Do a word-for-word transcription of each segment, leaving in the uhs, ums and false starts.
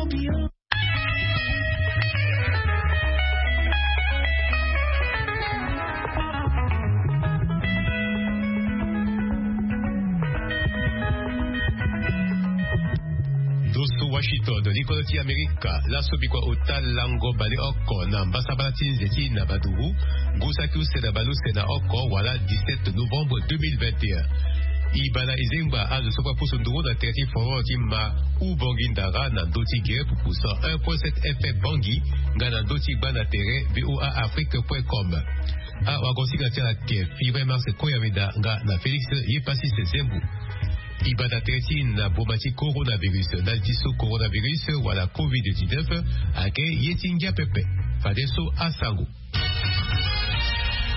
Ndo so Washington, likolo ti Amerika. Laso bikua ota lango baleoko na mbasambala ti nze ti na baduru, ngu saki use na baleuse na oko wala dix-sept novembre deux mille vingt et un. E baa na e zengba azo so kue apusu nduru na tere ti fololo ti ma Ubongi Ndara na ndö ti gere pupu cent un point sept F M Bangui, nga na ndö ti gbanda tere V O A Afrique point com. Awagosinga ti ala ake Fibre Mars Koyameda nga na Félix Yepasi Sezembu. E baa na tere ti na boma ti coronavirus, ndali ti so coronavirus wala covid dix-neuf ake ye ti ngia pepe. Fadeso asango.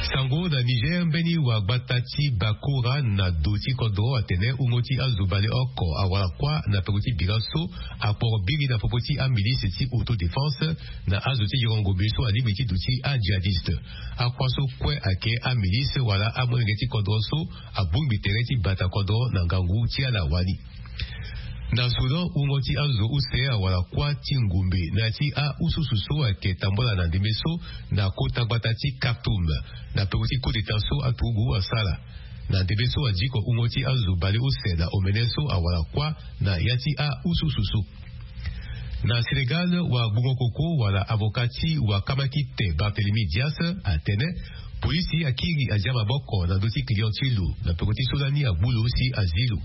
Sango na Niger, mbeni wagbata ti Bakura na do ti kodro atene wungo ti azo baleoko awara kuâ na peko ti bira so akporo biri na popo ti amilice ti autodéfense na azo ti yongo ngombe so alingbi ti duti ajihadiste. Akuâ so kue ake amilice wala amolenge ti kodro so abongbi tere ti bata kodro na ngangu ti ala wani. Na Soudan, wungo ti azo use awara kuâ ti ngumbe na ya ti aususu so ayeke tambola na ndembe so na kota gbata ti Khartoum, na peko ti coup d'État so aturugu asara. Na ndembe so adiko wungo ti azo baleuse na omene so awara kuâ na ya ti aususu so. Na Sénégal, wagbungo koko wala avocat ti wakamakite Barthélemy Dias atene polisi akiri adia maboko na ndö ti client ti lo na peko ti so lani agbu lo si azi lo.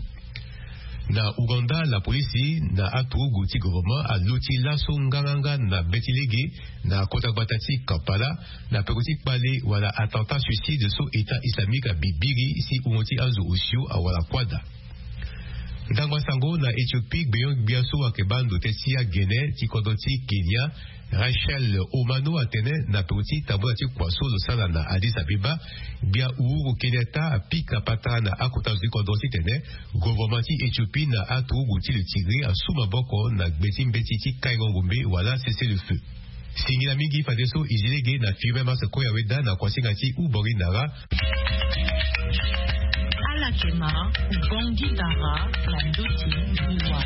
Na Ouganda, la polisi na aturugu ti gouvernement aluti laso nganganga na be ti lege na kota gbata ti Kampala na peko ti kpale wala attentat suicide so État islamique abibiri si wungo ti azo osio awara kuâ daa. Ndangba sango na Éthiopie, gbenyo-gbia so ayeke baa ndo teti ti agene ti kodro ti Kenya, Rachel Omano atene na peko ti tambola ti kua so lo sara na Addis Abeba, gbia Uhuru Kenyatta apika patara na akota zo ti kodro titene gouvernement ti Éthiopie na aturugu ti lo Tigré asu maboko na gbe ti mbeti ti kaingo ngombe wala cessez-le-feu. Singila mingi fadeso e zi lege na Fibre Mars Koyameda na kuasinga ti Ubongi Ndara. Ala yeke ma Ubongi Ndara na ndö ti liwa.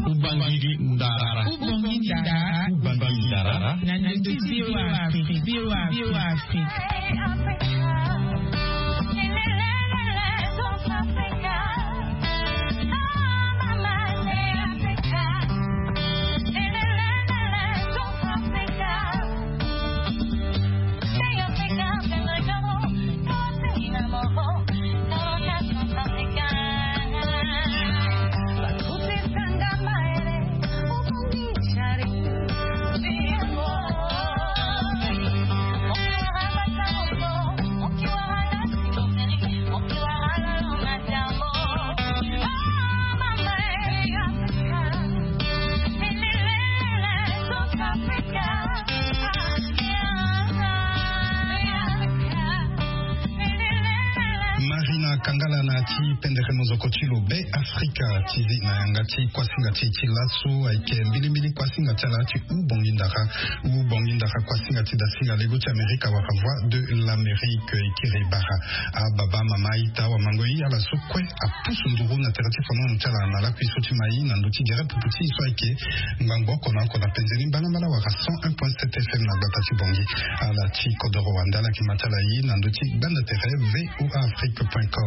Ubangiri Ndara. Ubangiri Ndara. Ubangiri Ndara. Na ndö ti V O A Afrique. V O A Afrique. Marina Kangala na ti pendere mozoko ti lo Be Afrika ti zi na yanga ti kuasinga ti ti laso ayeke mbilimbili kuasinga ti ala ti Ubongi Ndara. Ubongi Ndara kuasinga ti dasinga lego ti Amerika wala Voix de l'Amérique e kiri bara. Ababa, mama, ita, wamangoi, ala so kue apusu nduru na tere ti fananu ti ala na lakui so ti mai na ndö ti gere pupu ti so ayeke ngbangbo oko na oko na penzeni mbalambala wala cent un point sept F M na gbata ti Bangui. Ala ti kodoro wande ala yeke ma ti ala ye na ndö ti gbanda tere V O A Afrique point com.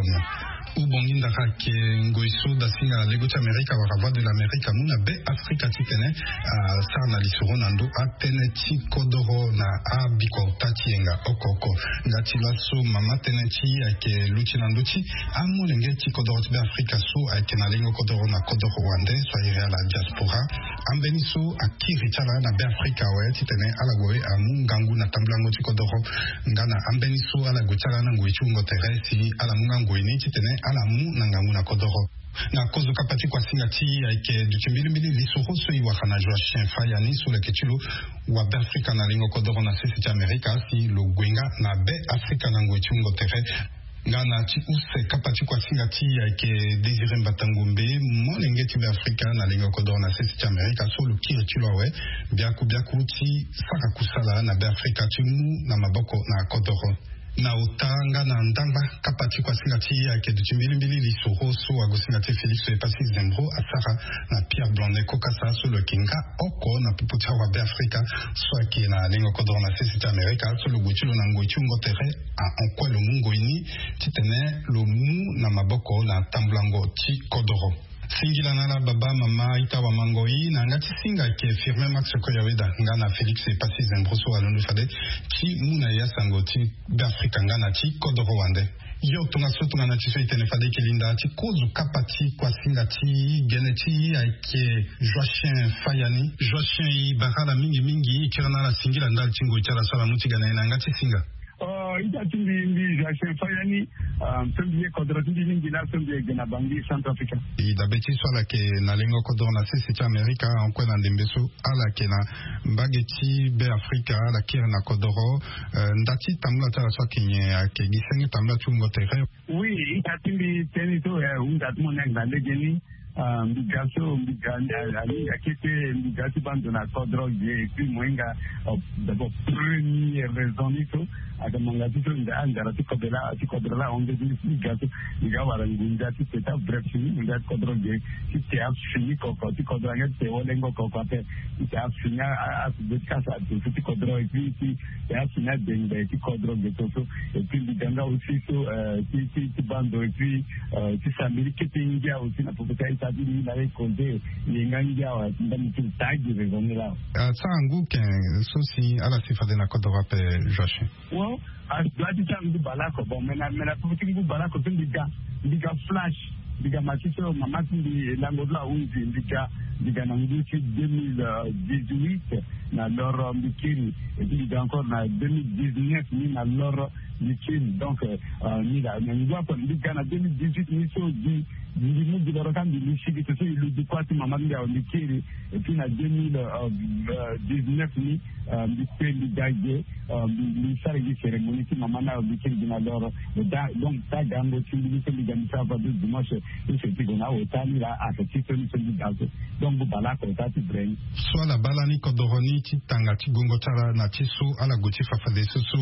Ubongi Ndara ayeke ngoi so dasinga lego ti Amerika wala Voix de l'Amérique amu na Be Afrika titene asara na lisoro na ndö atënë ti kodoro na abikua ota ti yenga oko oko. Nga ti laso mama tënë ti e ayeke luti na ndö ti amolenge ti kodoro ti Be Afrika so ayeke na lengo kodoro na kodoro wande so a iri ala diaspora. Ambeni so akiri ti ala na Be Afrika awe titene ala gue amu ngangu na tambulango ti kodoro. Nga na ambeni so ala gue ti ala na ngoi ti wungo tere si ala mu nga ngoi ni titene ala mu na ngangu na kodoro. Na kozo kapa ti kuasinga ti ayeke duti mbilimbili lisoro so e wara na Joachim Fayani so lo yeke ti lo wa Beafrika na lingo kodoro na sese ti Amerika si lo gue nga na Beafrika na ngoi ti wungo tere. Nga na ti use kapa ti kuasinga ti ayeke Désiré Mbatangombe, molenge ti Beafrika na lingo kodoro na sese ti Amerika so lo kiri ti lo awe biaku biaku ti sara kusala na Beafrika ti mu na maboko na kodoro. Na ota nga na ndangba kapa ti kuasinga ti ayeke duti mbilimbili lisoro so agosinga ti Félix Epassi Zembro asara na Pierre Blondet Kokasa so lo yeke nga oko na popo ti awa Beafrika so ayeke na lingo kodoro na sese ti Amerika so lo gue ti lo na ngoi ti wungo tere. Ahon kue lo mu ngoi ni titene lo mu na maboko na tambulango ti kodoro. Singila na ala baba mama ita wamangoi na yanga ti singa ayeke Firmin Max Koyaweda nga na Félix Epassi Zembro so alondo fade ti mu na ya sango ti Beafrika nga na ti kodoro wande. Yo tongaso tongana ti so e tene fade e yeke linda ti kozo kapa ti kuasinga ti gene ti ayeke Joachim Fayani. Joachim, e bara ala mingi mingi, e kiri na ala singila ndali ti ngoi ti ala so ala mu ti ga na e na yanga ti singa. Oh, ita ti mbi, mbi Joachim Fayani. Ah, so mbi ye kodro ti mbi mingi laa so mbi ye ge na Bangui, Centrafrique. E dabe ti so ala yeke na lengo kodro na sese ti Amerika, ahon kue na ndembe so ala yeke na mbage ti Beafrika, ala kiri na kodro. Eh, nda ti tambula ti ala so ayeke nyen? Ayeke gi senge tambula ti wungo tere? Oui, ita ti mbi teni so, eh, hunda ti mo ni ayeke na lege ni. Ah, mbi ga so, mbi ga, ah, ah, mbi ga kete, mbi ga ti baa ndo na kodro ge, et puis mo hinga, ah, d'abord, premier raison ni so, ayeke ngbanga ti so, nda, ah, ndara ti kodro laa, ti kodro laa, ahon nde ti mbi ga so, mbi ga wara ngunza ti te ti abref fini, ngunza ti kodro ge, ti te afini koko, ti kodro ange ti te wolengo koko ape, ti te afini a, a, a, ti kasa adoso ti kodro, et puis ti te afini adengbe ti kodro ge so so, et puis mbi ga nga aussi so, euh, ti, ti, ti baa ndo, et puis, euh, ti sambiri kete ngia aussi na popo ti aita ti mbi na ye cause ye nga ngia awe, ndambe ti taa gi raison ni laa. Ah, sara ngu ken so si ala si fade na kodro ape, Joachim? Bon, a doit ti sara ngu bale oko. Bon, mais na, mais na popo ti ngu bale oko so mbi ga, mbi ga flash, mbi ga ma ti so mama ti mbi lango ti lo ahunzi, mbi ga, mbi ga na ngu ti deux mille dix-huit na loro mbi kiri, et puis mbi ga encore na deux mille dix-neuf ni na loro mbi kiri. Donc, euh, euh, ni la, mais ngu oko mbi ga na deux mille dix-huit ni so gi, mbi mu gi loro ka mbi lu sigi so so e lu gi kuâ ti mama ti mbi awe mbi kiri, et puis na deux mille dix-neuf ni, euh, mbi kue mbi ga ge, euh, mbi, mbi sara gi cérémonie ti mama ni awe mbi kiri gi na loro. Da, donc, taa gango ti mbi ni so mbi ga mbi sara fade dimanche, ni so ti gue na ota ni laa ayeke ti so ni so mbi ga so. Donc, mbi bale oko ota ti bre ni. So ala baa lani kodoro ni ti tanga ti gongo ti ala na ti so ala gue ti fa fade so so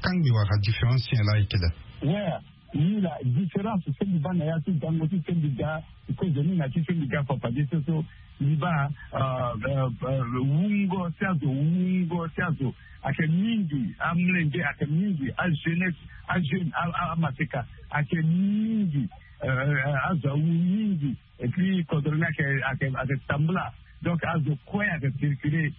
kangbi wala différence nyen laa ayeke daa? Ouais, ni la différence so mbi baa na ya ti gango ti so mbi ga, kozo ni na ti so mbi ga fa fade so so mbi baa, euh, euh, euh, wungo ti azo, wungo ti azo ayeke mingi, amolenge ayeke mingi, ajeunesse, ajeune, a, a, amaseka ayeke mingi, euh, euh, azo awu mingi. Et puis kodro ni ayeke, ayeke, ayeke tambula. Donc azo kue ayeke circuler.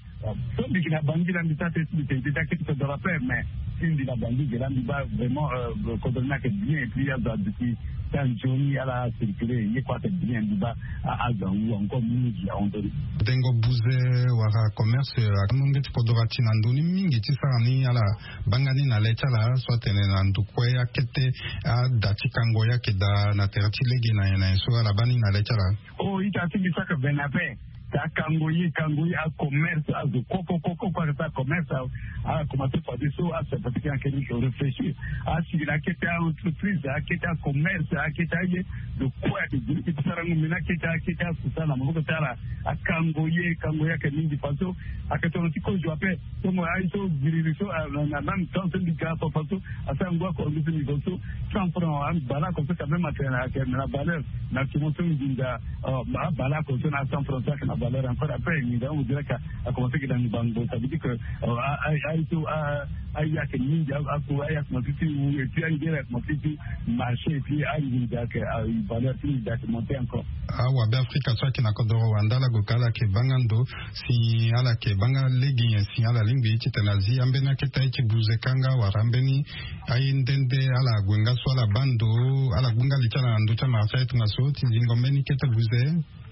So mbi yeke na Bangui laa mbi sara tene ti mbi tene ti daa kete kodro ape, mais si mbi na Bangui ge laa mbi baa vraiment, euh, kodro ni ayeke bien, et puis azo aduti ti anzoni ala circuler, ye kue ayeke bien, mbi baa a, azo awu encore mingi ahon ndo ni. Dengo buze wala commerce, euh, amu nge ti kodro ati na ndö ni mingi ti sara ni ala baa nga ni na le ti ala so atene na ndo kue akete ada ti kango ye ayeke daa na tere ti lege na nyen na nyen so ala baa ni na le ti ala? Oh, ita ti mbi saka bene ape. Ti akango ye, kango ye, acommerce, azo koko koko koko ayeke sara commerce, a, ala komanse fade so, aso fade ti ayeke ni réfléchir. Asigi na akete a-entreprise, akete acommerce, akete aye. Lo kue ayeke giri ti sarango mbeni akete, akete akusala na maboko ti ala. Akango ye, kango ye ayeke mingi fadeso. Ayeke tongana ti kozo ape. Tongo aye so giriri so, ah, na, na même temps so mbi ga fafa so asara ngu oko ngu so mbi zo so cent francs, ah, bale oko so quand même ayeke na, ayeke na valeur. Na ti mo so nginza, ah, ba, bale oko so na cent francs so ayeke na valeur encore. Après nginza on dirait que a commencé ke na ngbangbo, ça veut dire que, ah, a, a, aye so, ah, aye ayeke mingi, ah, ako aye akomanse ti wu, et puis angere akomanse ti marché, et puis anginza ayeke, ah, valeur ti nginza ayeke monté encore. Awabe afrika so ayeke na kodoro wande ala gue ka ala yeke baa nga ndo si ala yeke baa nga lege nyen si ala lingbi titene azi ambeni akete aye ti buze kanga wala ambeni aye nde nde ala gue nga so ala baa ndo, ala gbu nga li ti ala na ndö ti amara ti aye tongaso ti zingo mbeni kete buze?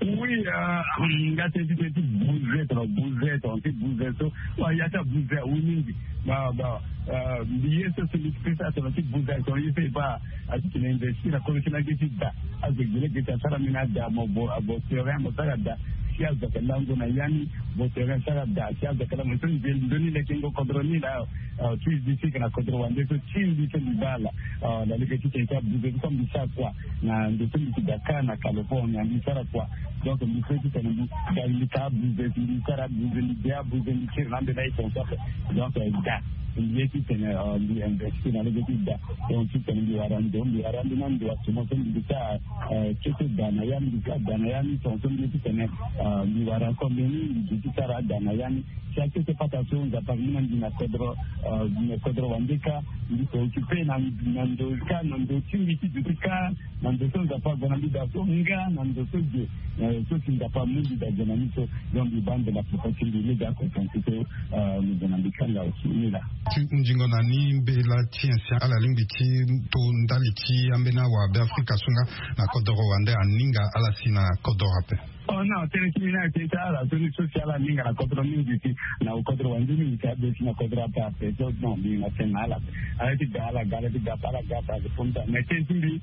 Oui, nga tene ti tene ti buze tongana buze tongana ti buze so. Wa ya ti abuze awe mingi. Ba ba mbi ye so so mbi ti pesa tongana ti buze tongana ye so e baa. Ati tene investir na kolo ti na ge ti da. Azo gi lege ti asara mbi na da mo bo abo terrain mo sara da. Si azo ake lango na ya ni bo terrain sara da si azo ake lango so nze ndoni leke ngo kodro ni laa. Ti zi ti ke na kodro wande so ti mbi so mbi baa ala. Na lege ti tene ti abuze so mbi sara kua. Na ndo so mbi ti ga kâ na Californie mbi sara kua. Donc mbi fo ti tene mbi ga mbi ka abuze mbi sara abuze mbi de abuze mbi kiri na ambeni aye ton so ape. Donc da mbi ye ti tene mbi investir na lege ti da. Donc ti tene mbi wara ndo mbi wara ambeni ando asumo so mbi sara. Kete da na ya mbi sara da na ya ni ton so mbi ye ti tene mbi wara so mbeni mbi gi ti sara ada na ya ni. Si akete pata so Nzapa amina mbi na kodro. Mbi na kodro wande kâ mbi ko occupe na ndo kâ na ndo ti mbi ti duti kâ. Na ndo so Nzapa ague na mbi daa so nga na ndo so ge. So si Nzapa amu mbi daa ge na ni so. Donc mbi baa mbi na poko ti mbi ni daa kokonti so. Mbi gue na mbi kanga aussi ni laa. Ti hunzingo na ni mbela ti ancien ala lingbi ti to ndali ti ambeni awa Beafrika so nga na kodoro wande aninga ala si na kodoro ape. Oh non tënë ti mbi ni ayeke ti ala so ni so si ala aninga na kodro mingi si na kodro wande mingi si abe si na kodro ape ape so non mbi na tënë na ala. Ala ti ga ala ga ala ti ga ape ala ga ape ayeke fo mbi ta mais tënë ti mbi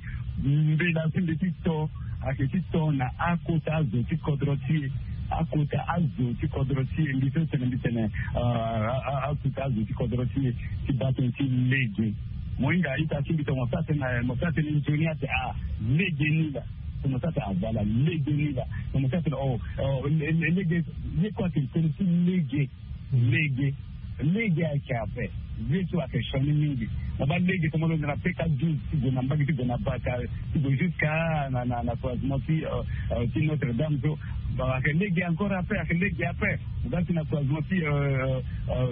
mbela ti mbi ti to ayeke ti to na akota azo ti kodro ti e. Akota azo ti kodro ti e mbi so tene mbi tene akota azo ti kodro ti e ti baa tënë ti lege. Mo hinga ita ti mbi tongana mo sara tënë mo sara tënë nzoni ate a lege ni laa. Tongana mo sara tënë a voilà lege ni laa. Tongana mo sara tënë o lege ye kue ayeke tënë ti lege. Lege lege ayeke ape. Ye so ayeke sioni mingi. Mo baa lege so mo londo na peka douze ti gue na mbage ti gue na baka ti gue jusqu'à na na na croisement ti ti Notre Dame so. Ayeke lege encore ape ayeke lege ape. Mo baa ti na croisement ti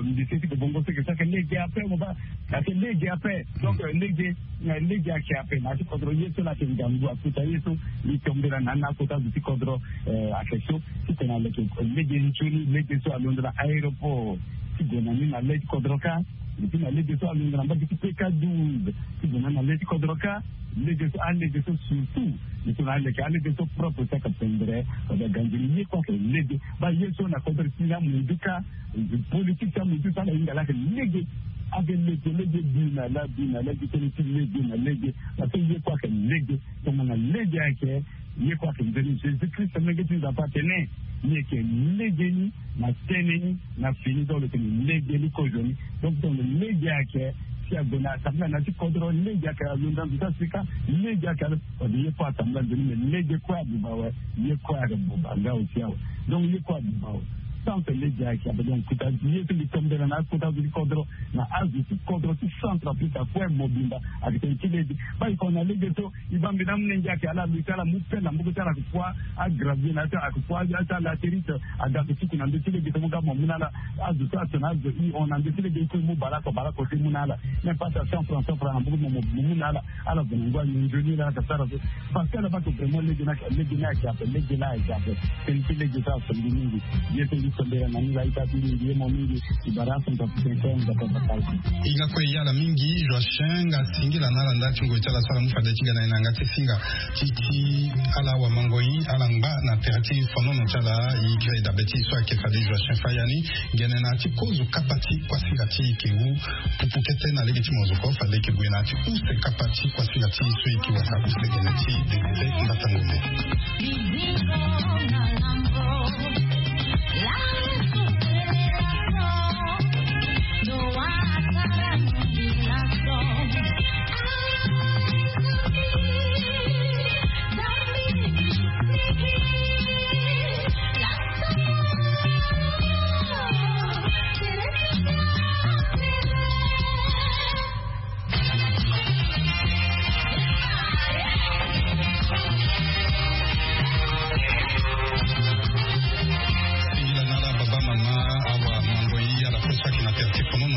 mbi se ti gue bongo seke so ayeke lege ape mo baa. Ayeke lege ape. Donc lege lege ayeke ape na ya ti kodro ye so la ayeke ngangu akota ye so. Mbi tombela na ni na akota azo ti kodro ayeke so. Titene aleke lege nzoni lege so alondo na aéroport ti gue na ni na le ti kodro kâ. Epi na lege so alondo na mbage ti peka douze ti gue na ni na le ti kodro kâ. Lege so alege so surtout. Mbi so na aleke alege so propre ti ayeke pendre. Wala ganzoni ye kue ayeke lege. Baa ye so na kodro ti ni amundu kâ. Politique ti amundu so ala hinga laa ayeke lege. Ayeke lege lege bi na la bi na la gi tënë ti lege na lege. Parce que ye kue ayeke lege. Tongana lege ayeke ye kue ayeke nzoni Jésus Christ amenge ti Nzapa atene. Ni yeke lege ni na tënë ni na fini donc lo tene lege ni kozoni. Donc tongana lege ayeke si ague na assemblée na ya ti kodro lege ayeke alondo na ndo ti asika. Lege ayeke alo. Fade ye kue assemblée nzoni mais lege kue abuba awe. Ye kue ayeke buba nga aussi awe. Donc ye kue abuba awe. Tant que lege ayeke ape donc kota ye so mbi tombela na akota azo ti kodro na azo ti kodro ti Centrafrique akue mobimba. Ayeke tene ti lege. Baa e ko na lege so. E baa mbi na amolenge ayeke ala luti ala mu pelle na mboko ti ala ayeke kua. Agravier na ya ti ala ayeke kua ya ti ala latérite. Aga ake tuku na ndö ti lege so mo ga mo mu na ala. Azo so atene azo i hon na ndö ti lege i kue i mu baleoko baleoko so i mu na ala. Même pas à cent francs cent francs na mboko ti mo mo mu na ala. Ala zo na ngu anyon nzoni laa ala yeke sara so. Parce que ala baa ake vraiment lege ni ayeke lege ni ayeke ape lege laa ayeke ape. Tënë ti lege so aso mbi mingi. Ye so mbi so mbela na ni laa ita ti mingi ye mo mingi. I bara aso mbi so mbi so mbi so mbi so. I nga kue i ala mingi Joachim nga singila na ala nda ti ngoi ti ala so ala mu fade ti ga na e na yanga ti singa ti ti ala wamangoi ala ngba na tere ti fonono ti ala. I kiri dabe ti so ayeke fade Joachim Fayani. Gene na ti kozo kapa ti kuasinga ti i ke wu. Pupu kete na lege ti mozoko fade e ke gue na ti use kapa ti kuasinga ti i so i ke wasa use gene ti député mbatango mo.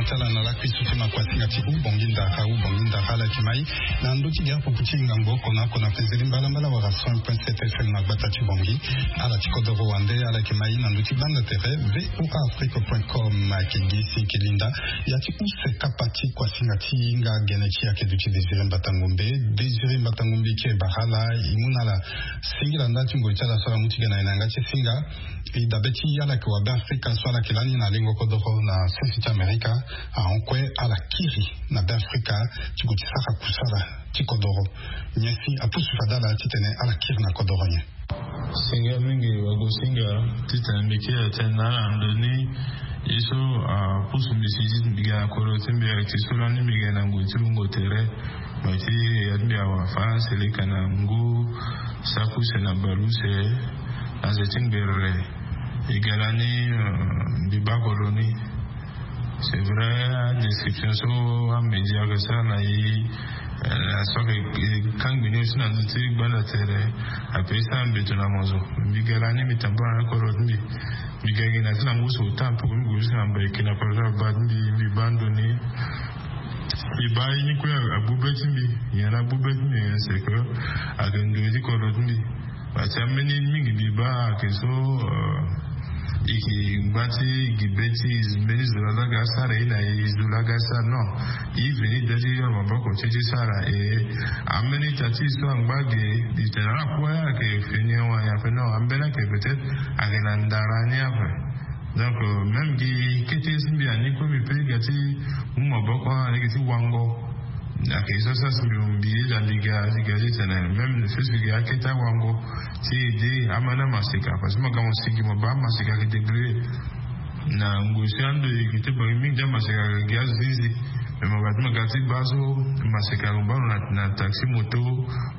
Tala na lakui so ti makuasinga ti ubongi ndara ubongi ndara ala yeke mai na ndö ti gare pupu ti ngangu oko na oko na fenzeli mbalambala wala cent point sept fm na gbata ti bongi. Ala ti kodoro wande ala yeke mai na ndö ti banda tere. Voa afrique point com ayeke gi si yeke linda ya ti use kapa ti kuasinga ti hinga gene ti ayeke duti désiré mbatangombe. Désiré mbatangombe ti e bara ala e mu na ala singila nda ti ngoi ti ala so ala mu ti ga na e na yanga ti singa. E dabe ti ala yeke wabe afrika so ala yeke lani na lengo kodoro na sese ti amerika. Ahon kue ala kiri na be afrika ti gue ti sara kusala ti kodoro. Nyen si apusu fade ala titene ala kiri na kodoro nyen? Singa mingi wago singa titene mbi kiri tene na ala na ndo ni. Ye so apusu mbi si ti mbi ga na kodoro ti mbi ayeke ti so lani mbi ga na ngoi ti wungo tere. Mo ti ya ti mbi awa faranse leka na ngu saki use na bale use na ze ti ngbere. E ga lani mbi baa kodro ni. C'est vrai, adescription so amédia ayeke sara na e na so ayeke kangbi ni aussi na ndö ti gbanda tere. Ape e sara mbeto na mo zo. Mbi ga lani mbi tambula na kodro ti mbi. Mbi ga gi na ti na ngu so ota mpe ko mbi gue ti na mbai kina kodro ti aba ti mbi mbi baa ndo ni. Mbi baa ye ni kue agbu be ti mbi. Nyen agbu be ti mbi nyen c'est que ayeke ndoye ti kodro ti mbi. Parce que ambeni mingi mbi baa ayeke so e yeke ngba ti e gi be ti e mbeni zo laa so aga asara e na e zo laa aga asara non. E veni da ti yoro maboko ti e ti sara e. Ambeni ita ti e so angba ge. E tene ala kue ayeke fini awa ya fini awa ambeni ayeke peut-être ayeke na ndara ni ape. Donc même gi kete si mbi ani kue mbi pe ga ti mu maboko alege ti wango. Ayeke so sara si mbi mu mbi ye da mbi ga mbi ga ti tene même ne fes mbi ga akete awango ti ede amani amaseka parce que mo ga mo sigi mo baa amaseka ayeke débrouille. Na ngoi so ando e yeke ti bangi mingi ti amaseka ayeke gi azo ti zi. Mais mo ga ti mo ga ti baa so maseka lo baa lo na taxi moto.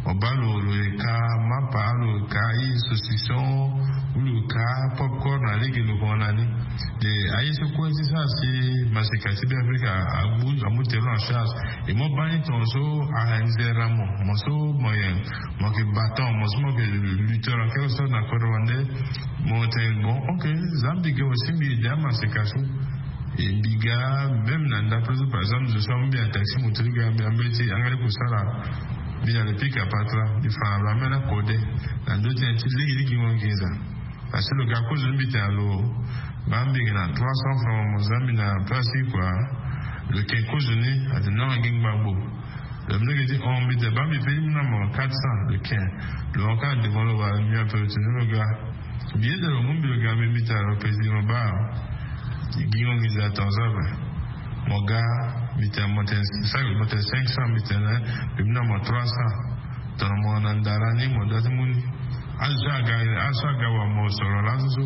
Mo baa lo lo yeka mapa lo yeka aye saucisson ou lo yeka popcorn na lege lo kongo na ni. De aye so kue ti sara si maseka ti be afrika amu tere lo en charge. E mo baa ni tongaso anzere na mo mo so mo yeke mo yeke battant mo so mo yeke lutteur en quelque sorte na kodro wande. Mo tene bon ok. Za mbi ge mo si mbi ede amaseka so. E mbi ga même na ndape so par exemple zo so amu mbi na taxi moto ti ga mbi ambeti angale kusala. Mbi na le pika patra mbi fa na lo ambeni akode na ndö ti na ti lege ti gingo nginza. Parce que lo ga kozo ni mbi tene na lo baa mbi yeke na trois cents francs mo za mbi na place ti kua. Lo yeke kozo ni atene nanga gi ngbangbo. Lo mbi lege ti hon mbi tene baa mbi pe ti mu na mo quatre cents lo yeke. Lo hon kâ na devant lo wala mbi ape lo tene lo ga. Mbi yeda lo mu mbi lo ga mbi mbi tara lo pesi mo baa. Gingo nginza tongaso ape. Mo ga mbi tene mo tene cinq cents mbi tene mbi mu na mo trois cents. Tongana mo na ndara ni mo da ti mu ni. Azo so aga azo so aga wa mo soro laso so.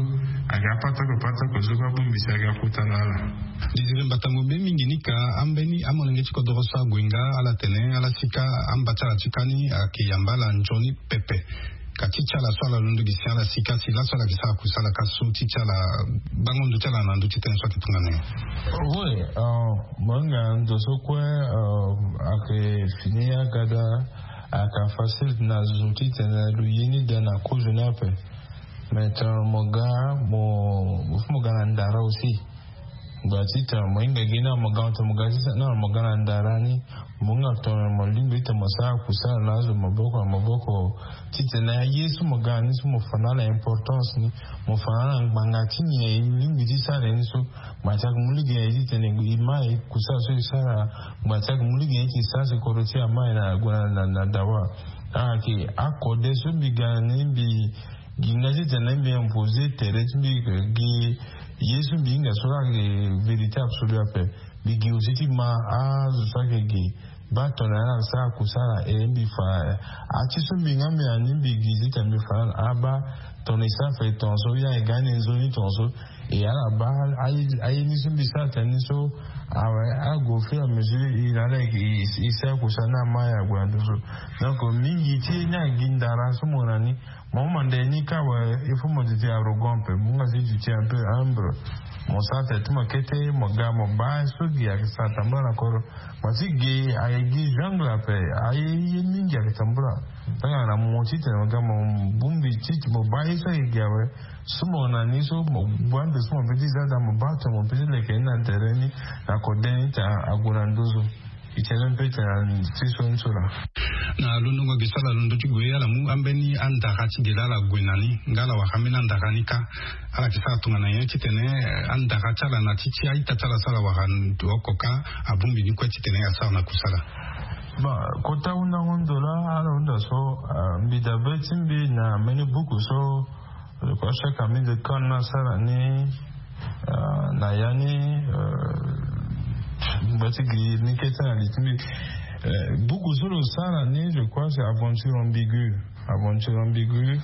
Aga apatako patako so kue abongbi si aga kota na ala. Désiré mbatangombe mingi ni ka ambeni amolenge ti kodoro so ague nga ala tene ala sika amba ti ala ti kani ayeke yamba ala nzoni pepe. Ka ti ti ala so ala londo gi si ala sika si laso ala yeke sara kusala ka so ti ti ala bango ndo ti ala na ndö ti tënë so ayeke tongana nyen? Oui. Mo hinga ndo so kue ayeke fini agada. Ayeke facile na zo titene lo ye ni daa na kozo ni ape. Mais tongana mo ga mo fo mo ga na ndara aussi. Ngba ti tongana mo hinga gi na mo ga mo tongana mo ga ti na mo ga na ndara ni. Mo hinga tongana mo lingbi ti tongana mo sara kusala na azo maboko na maboko. Titene aye so mo ga na ni so mo fa na ala importance ni. Mo fa na ala ngbanga ti nyen e lingbi ti sara ni so. Ngba ti ayeke mu lege na e titene e ma e kusala so e sara. Ngba ti ayeke mu lege na e ti sara si kodro ti ama e na gue na dawa. Ayeke akode so mbi ga na ni mbi gi nga titene mbi impose tere ti mbi gi ye so mbi hinga so laa ayeke vérité absolue ape. Mbi gi aussi ti ma azo so ayeke gi baa tongana ala sara kusala e mbi fa. Ati so mbi nga mbi na ni mbi gi titene mbi fa na ala abaa tongana e sara fa e tongaso ya e ga ni e nzoni tongaso. E ala baa aye ni so mbi sara tene ni so awe ague au fur et à mesure e na ala e sara kusala ni ama e ague na ndo so. Donc mingi ti ye ni agi ndara so mo na ni. Mo manda ye ni kâ awe il faut mo duti arrogant ape mo nga si duti un peu humble. Mo sara tene ti mo kete mo ga mo baa so gi ayeke sara tambula na kodro. Mo ti gi ayeke gi jungle ape. Aye ye mingi ayeke tambula. Tongana mo titene mo ga mo bongbi titene mo baa ye so ayeke gi awe. So mo na ni so mo gbu ande so mo pe ti za daa mo baa tongana mo pe ti leke ni na tere ni na kode ni tena ague na nduzu. E tena mpe tena ti so ni so laa. Na londongo gi so ala londo ti gue ala mu ambeni andara ti gele ala gue na ni nga ala wara ambeni andara ni kâ. Ala yeke sara tongana nyen titene andara ti ala na ti ti a-ita ti ala so ala wara oko kâ. Abongbi ni kue titene asara na kusala. Bon, kota hundango ndo laa ala hunda so mbi dabe ti mbi na mbeni buku so le crois chaque ami de kan na sara ni na ya ni. Ngba ti gi ni kete na li ti mbi. Buku so lo sara ni je crois c'est aventure ambigu. Aventure ambigu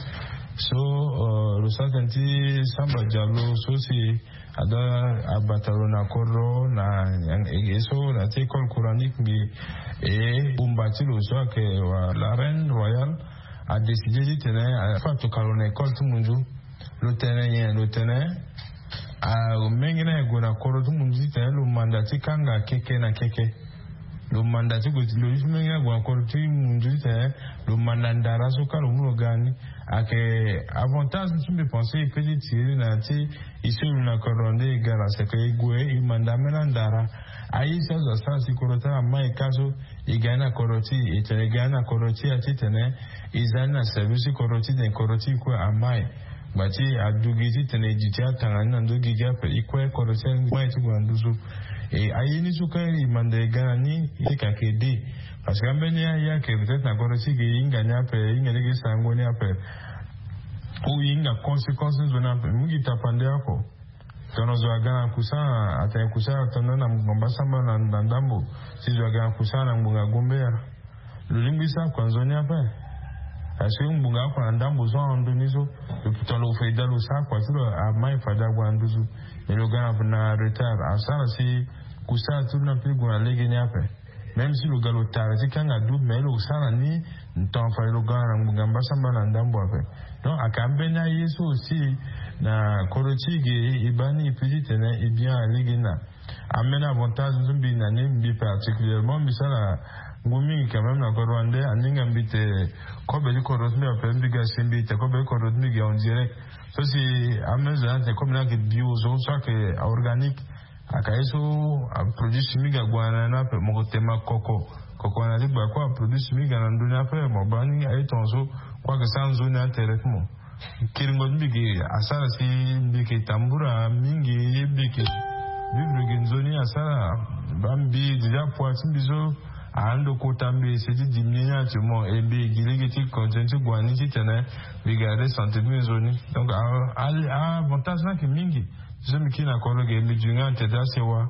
so lo sara tene ti samba dialo so si ada abata lo na kodro na ege so na ti école coranique mbi e bumba ti lo so ayeke la reine royale adécide titene afa atoka lo na école ti munzu. Lo tene nyen lo tene amenge ni aye gue na kodro ti munzu titene lo manda ti kanga keke na keke. Lo manda ti gue ti lo ye ti menge ni ague na kodro ti munzu titene lo manda ndara so kâ lo mu lo ga ni. Ayeke avantage so mbi pense e pe ti tiri na ya ti e so e lu na kodro nde e ga la seke e gue e manda ambeni andara. Aye so azo asara si kodro ti ala amai kâ so e ga ni na kodro ti e e tene e ga ni na kodro ti e ya titene e za ni na service ti kodro ti e tene kodro ti e kue amai. Ngba ti adugi titene e duti atanga ni na ndö gigi ape e kue kodro ti e amai ti gue na nduzu. E aye ni so kâ e manda e ga na ni e yeke ayeke aide. Parce que ambeni aye ayeke peut-être na kodro ti e ge e hinga ni ape e hinga lege e sarango ni ape. Ou e hinga conséquence ti nzoni ape mingi tapande oko. Tongana zo aga na kusa atene kusa atene na ngbonga mbasambala na ndambo. Si zo aga na kusa na ngbonga gombeya lo lingbi sara kua nzoni ape. Parce que ngbonga oko na ndambo so ahon ndoni so. Tongana lo faida lo sara kua ti lo amai faida ague na nduzu. Mais lo ga na retard asara si kusa ti lo na mpe gue na legeni ape. Même si lo ga lo tara ti kanga du mais lo sara ni. Tonga fade lo ga na ngbonga mbasambala na ndambo ape. Donc ayeke ambeni aye so aussi na kodro ti e ge e baa ni e pe titene e bien alege ni na ambeni avantage so mbi na ni mbi particulièrement mbi sara ngu mingi quand même na kodro wande aninga mbi te. Kobe ti kodro ti mbi ape mbi ga si mbi te kobe ti kodro ti mbi ge en direct. So si ambeni zo ni atene kobe ni ayeke bio so so ayeke organique. Aka ye so aproduit chimique ague na ni ape moko tema koko. Koko na ti gba kue aproduit chimique ana ndoni ape mo baa ni aye tonga so kue ayeke sara nzoni atere ti mo. Kiringo ti mbi yeke asara si mbi yeke tambura mingi ye mbi yeke vivre ge nzoni asara. Baa mbi déjà poids ti mbi so ahando kota mbi ese ti diminuer ni actuellement e mbi gi lege ti continue ti gue na ni titene mbi ga re sante ti mbi nzoni. Donc avantage ni ayeke mingi. Ti so mbi kiri na kodro ge mbi duti nga na tere ti asewa.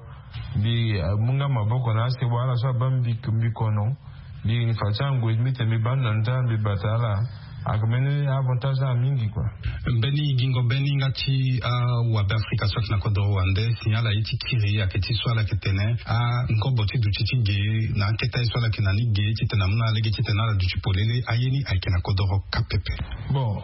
Mbi mu nga maboko na asewa ala so abaa mbi kono. Mbi fa ti angoi ti mbi te mbi baa ndo na ni ti ala mbi bata ala. Ayeke mbeni avantage ala mingi kua. Mbeni gingo mbeni nga ti awabe afrika so ayeke na kodro wande si ala ye ti kiri ayeke ti so ala yeke tene angobo ti duti ti ge na akete aye so ala yeke na ni ge titene amu na alege titene ala duti polele aye ni ayeke na kodoro kâ pepe. Bon,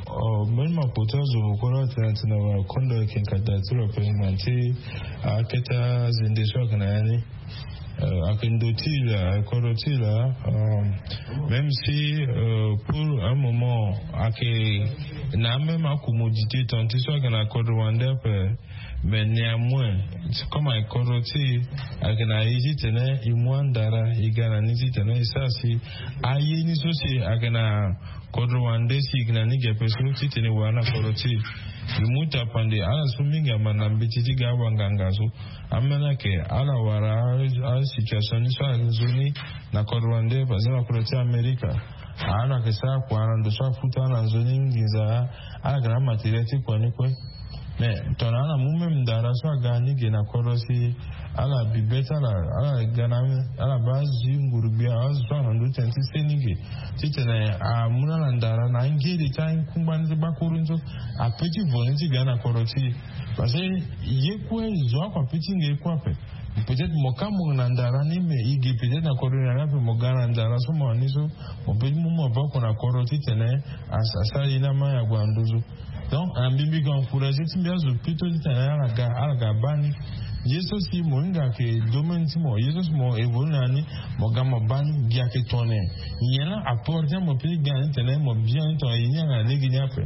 mbeni mapoto azo moko laa atene atene na kondo ayeke nkata ti lo ape ngbanga ti akete azende so ayeke na ya ni. Ayeke ndo ti e laa ayeke kodro ti e laa. Même si pour un moment ayeke na amême acommodité tongana ti so ayeke na kodro wande ape. Mais néanmoins comme ayeke kodro ti e ayeke na ye titene e mu andara e ga na ni titene e sara si aye ni so si ayeke na kodro wande si e yeke na ni ge ape so titene e wara na kodro ti e. E mu tapande ala so mingi amanda mbeti ti ga awanganga so. Ambeni ayeke ala wara asituation ni so ayeke nzoni na kodro wande par exemple na kodro ti amerika. Ala yeke sara kua na ndo so afuta ala nzoni nginza. Ala yeke na amatériel ti kua ni kue. Mais tongana ala mu même ndara so aga ni ge na kodro si ala bibe ti ala ala ga na ala baa azi nguru gbia azo so ala na ndö ti tene ti se ni ge titene amu na ala ndara na angeri ti akungba ni ti bakuru ni so. Ape ti vo ni ti ga na kodro ti e. Parce que ye kue zo oko ape ti nge ye kue ape. Peut-être mo ka mo na ndara ni mais e ge peut-être na kodro ni na ni ape mo ga na ndara so mo na ni so mo pe ti mu maboko na kodro titene asara ye ni amai ague na nduzu. Donc na mbi mbi yeke encourager ti mbi azo plutôt titene ala ga ala ga baa ni. Ye so si mo hinga ayeke domaine ti mo ye so si mo évolue na ni mo ga mo baa ni gi ayeke tongana nyen laa apport ti mo pe ti ga na ni tene mo bien ni tongana ye ni ayeke na lege ni ape.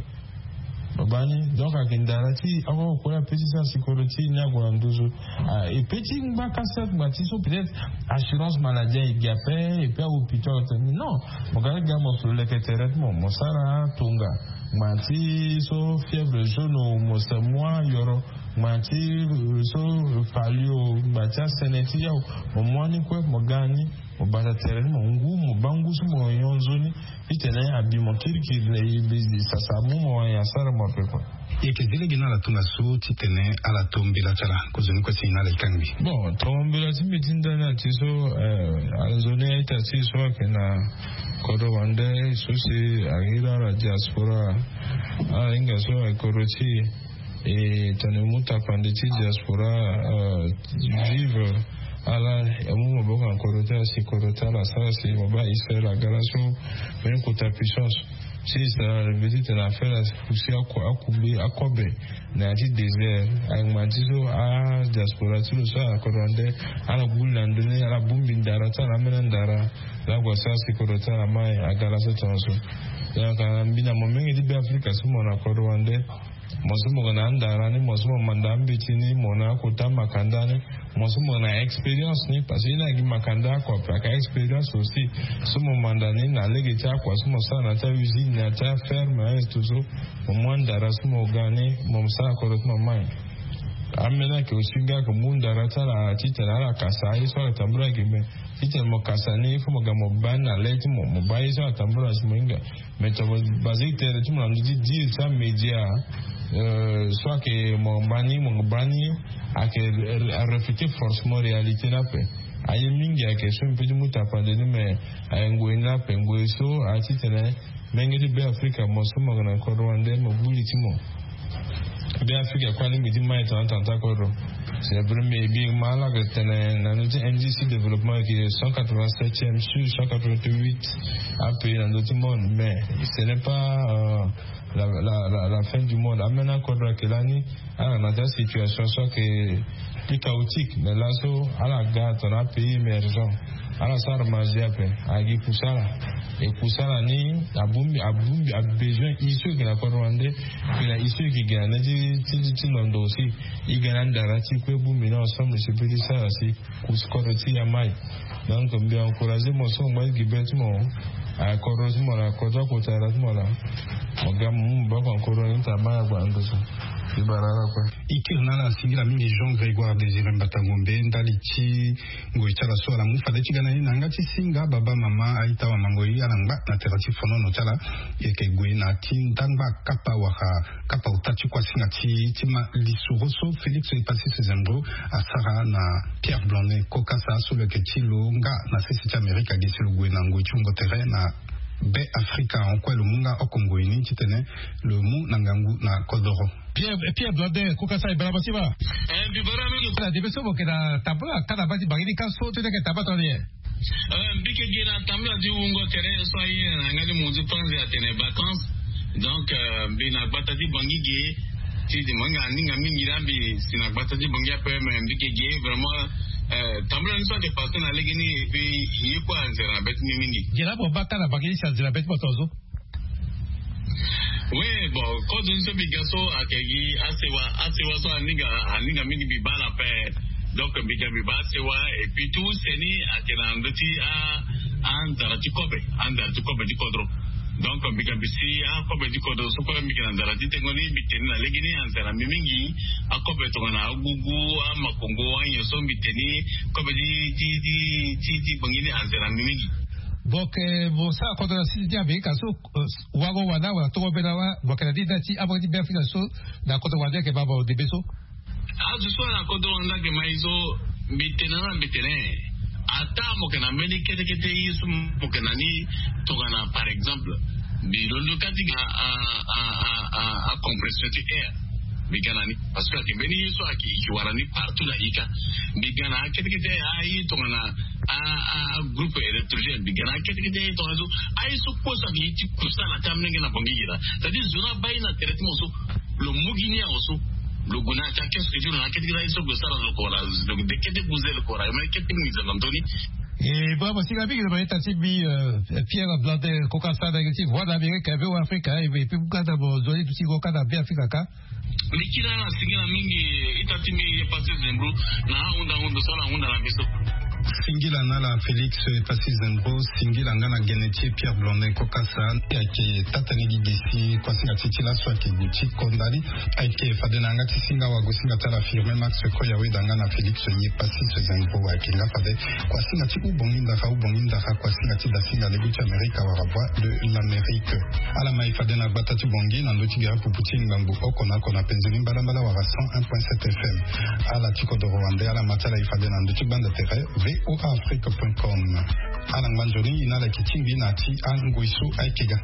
Baba ni donc ayeke ndara ti oko kue ape ti sara sikoro ti ni ague na nduzu. Ah, e pe ti ngba ka sert ngba ti so peut-être assurance maladie aye gi ape. E pe ahôpital tene non, mo ga ti ga mo so leke tere ti mo mo sara tonga. Ngba ti so fièvre jaune o mo se moi yoro. Ngba ti so fali o ngba ti asene ti yawu mo moi ni kue mo ga ni. Mo bata tere ni mo ngu mo baa ngu so mo nyon nzoni. Titene abi mo kirikiri na e be sasa amu mo wani asara mo ape kue. Yeke zi lege na ala tongaso titene ala to mbela ti ala kozoni kue si na ala ekangbi. Bon, to mbela ti mbi ti ndani ati so. Nzoni aita si so ayeke na kodro wande so si ayeke iri ala diaspora. Ala hinga so ayeke kodro ti e tene mu tapande ti diaspora vive. Ala amu maboko na kodro ti ala si kodro ti ala asara si mo baa Israël aga laso. Mbeni kota puissance si Israël alingi titene afere apusi akube akobe na ya ti désert. Angba ti so adiaspora ti lo so ala kodro wande ala gbu li na ndoni ala bongbi ndara ti ala ambeni andara. Laa ague asara si kodro ti ala mai aga laso tongaso. Donc mbi na mo mingi ti be afrika so mo na kodro wande. Mo so mo yeke na andara ni mo so mo manda ambeti ni mo na akota makanda ni. Mo so mo yeke na expérience ni parce que ye ni ayeke gi makanda oko ape ayeke expérience aussi. So mo manda ni na lege ti akua so mo sara na ti ausine na ti aferme ainsi tout so. Mo mu andara so mo ga ni mo sara kodro ti mo mai. Ambeni ayeke aussi nga ayeke mu ndara ti ala titene ala kasa aye so ala tambula ayeke me. Titene mo kasa ni il faut mo ga mo baa ni na le ti mo mo baa aye so ala tambula si mo hinga. Mais to mo basé tere ti mo na ndö ti dire ti amédia so ayeke mo baa ni mo baa ni ayeke arefléter forcément réalité ni ape. Aye mingi ayeke so mbi pe ti mu tapande ni mais ayeke ngoi ni ape ngoi so aye titene menge ti be afrika mo so mo yeke na kodro wande mo gbu li ti mo. Be afrika kue ani mbi ti mai tongana tanga ti akodro. C'est vrai mais mbi ma ala yeke tene na ndö ti indice ti développement ayeke cent quatre-vingt-septième sur cent quatre-vingt-huit apays na ndö ti monde mais ce n'est pas la fin du monde. Ambeni akodro ayeke lani ala na ti asituation so ayeke plus chaotique mais laso ala ga tongana apays émergent. Ala sara marge ape. Agi kusala e kusala ni abongbi abongbi abesoin e so e yeke na kodro wande. Mbi na e so e yeke gi na nde ti londo aussi. E ga na ndara ti kue bongbi ni ensemble si pe ti sara si kodro ti ya mai. Donc mbi encourager mo so mo ngba ti gi be ti mo. Akodro ti mo laa kodro akota ala ti mo laa. Mo ga mo mu mo baa ko na kodro ni ta mai agba na ndo so. Mbi bara ala kue. E kiri na ala singila mingi jean grégoire désiré mbata ngombe ndali ti ngoi ti ala so ala mu fade ti ga na ni na yanga ti singa baba mama aita wamangoi ala ngba na tere ti fonono ti ala. E yeke gue na ti ndangba kapa wala kapa ota ti kuasinga ti ti ma lisoro so félix epassis zembro asara na pierre blonnet kokasa so lo yeke ti lo nga na sese ti amerika gi si lo gue na ngoi ti wungo tere na be afrika en kue lo mu nga oko ngoi ni titene lo mu na ngangu na kodoro. Pierre blonnet kokasa e bara mo ti ma. Mbi bara mingi. Ala debe so mo yeke na tambula ka na baa ti bangi ni ka so ti ni ayeke tambula tongana nyen? Mbi yeke gi na tambula ti wungo tere so aye na yanga ti mo ti panzi atene vacances. Donc mbi na gbata ti bangi ge ti di mo hinga aninga mingi na mbi si na gbata ti bangi ape mais mbi yeke gi vraiment. Tambula ni so ayeke passe na lege ni epi ye kue anzere na be ti mbi mingi. Gera mo baa ka na bangi ni si anzere na be ti mo tongaso. Oui, bon, kodro ni so mbi ga so ayeke gi asewa asewa so aninga aninga mingi mbi baa na ape. Donc mbi ga mbi baa asewa. Et puis tout seni ayeke na ndö ti anzara ti kobe anzara ti kobe ti kodro. Donc mbi ga mbi si akobe ti kodro so kue mbi yeke na nzara ti tengo ni mbi teni na lege ni anzara mbi mingi. Akobe tongana agugu amakongo anyen so mbi teni kobe ti ti ti ti ti bangi ni anzara mbi mingi. Boke mo sara kodro na siti ti amerika so. Wango wanda wala tongo be na wa boke na ni nda ti abanga ti be afrika so na kodro wanda yeke baba o debe so. Azo so ala kodro wanda yeke mai so mbi tene na mbi tene. Ata mo yeke na mbeni kete kete ye so mo yeke na ni tongana par exemple mbi londo kati ga acompression ti air. Mbi ga na ni parce que ayeke mbeni ye so ayeke e yeke wara ni partout na ika. Mbi ga na akete kete aye tongana agroupe électrogène mbi ga na akete kete aye tongana so. Aye so kue so ayeke ye ti kusala ti amenge na bangi gi laa c'est à dire zo ni abaa ye na tere ti mo so. Lo mu gi ni awe so lo gue na ya ti akesque ti lo na akete kete aye so lo sara lo ko wala lo de kete guze lo ko wala yo mene kete nginza na ndö ni. E baba singa mingi na ba ita ti mbi. Pierre Blande koka sa na ti voie d'Amérique ave o Afrika e mbi pi buka na mo zoli duti koka na mbi Afrika ka. Mbi kiri ala singila mingi. Ita ti mbi ye pasi zembro na ahunda hundu so ala hunda na biso. Singila na ala Félix Passy Zembro. Singila nga na gene ti Pierre Blande koka sa. Ayeke tata ni gi gesi kuasinga ti ti laso ayeke gue ti kondali. Ayeke fade na yanga ti singa wago singa ti ala firme Max koya weda nga na Félix ye pasi se zembro ayeke nga fade. Kuasinga ti ubongi ndara ubongi ndara kuasinga ti dasinga lego ti amerika wala voie de l'amérique. Ala mai fade na gbata ti bongi na ndö ti gere pupu ti ngbangbu oko na oko na penze ni mbalambala wala cent un point sept fm. Ala ti kodoro wande ala ma ti ala e fade na ndö ti gbanda tere. Voa afrique point com. Ala ngba nzoni ina ala yeke tingbi na ti angoi so ayeke ga.